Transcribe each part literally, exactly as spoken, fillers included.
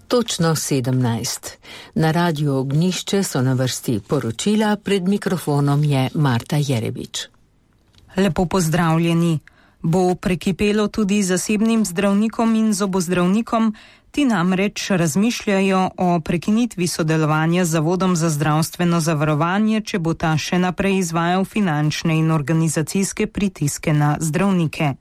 Točno sedemnajst. Na Radiu Ognjišče so na vrsti poročila, pred mikrofonom je Marta Jerebič. Lepo pozdravljeni. Bo prekipelo tudi zasebnim zdravnikom in zobozdravnikom, ti namreč razmišljajo o prekinitvi sodelovanja z Zavodom za zdravstveno zavarovanje, če bo ta še naprej izvajal finančne in organizacijske pritiske na zdravnike.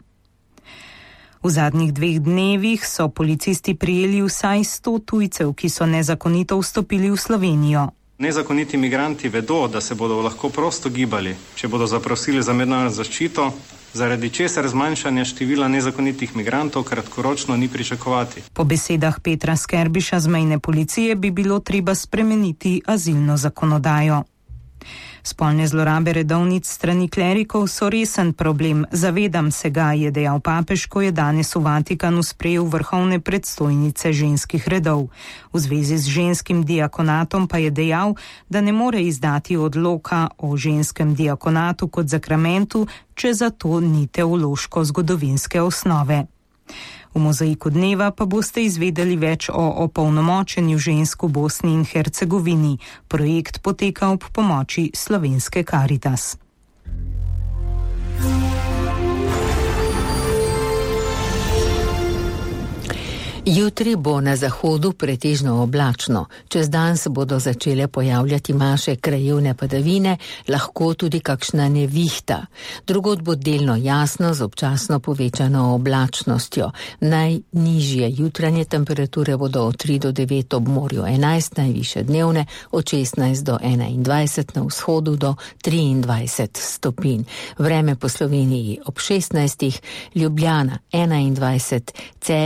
V zadnjih dveh dnevih so policisti prijeli vsaj sto tujcev, ki so nezakonito vstopili v Slovenijo. Nezakoniti migranti vedo, da se bodo lahko prosto gibali, če bodo zaprosili za mednarodno zaščito, zaradi česar zmanjšanja števila nezakonitih migrantov kratkoročno ni pričakovati. Po besedah Petra Skerbiša z mejne policije bi bilo treba spremeniti azilno zakonodajo. Spolne zlorabe redovnic strani klerikov so resen problem, zavedam se ga, je dejal papež, ko je danes v Vatikanu sprejel vrhovne predstojnice ženskih redov. V zvezi z ženskim diakonatom pa je dejal, da ne more izdati odloka o ženskem diakonatu kot zakramentu, če za to ni teološko-zgodovinske osnove. V mozaiku dneva pa boste izvedeli več o opolnomočenju žensk v Bosni in Hercegovini. Projekt poteka ob pomoči Slovenske Karitas. Jutri bo na zahodu pretežno oblačno. Čez dan se bodo začele pojavljati manjše krajevne padavine, lahko tudi kakšna nevihta. Drugod bo delno jasno z občasno povečano oblačnostjo. Najnižje jutranje temperature bodo od tri do devet ob morju, enajst najvišje dnevne, od šestnajst do enaindvajset, na vzhodu do triindvajset stopinj. Vreme po Sloveniji ob šestnajstih, Ljubljana enaindvajset, Celje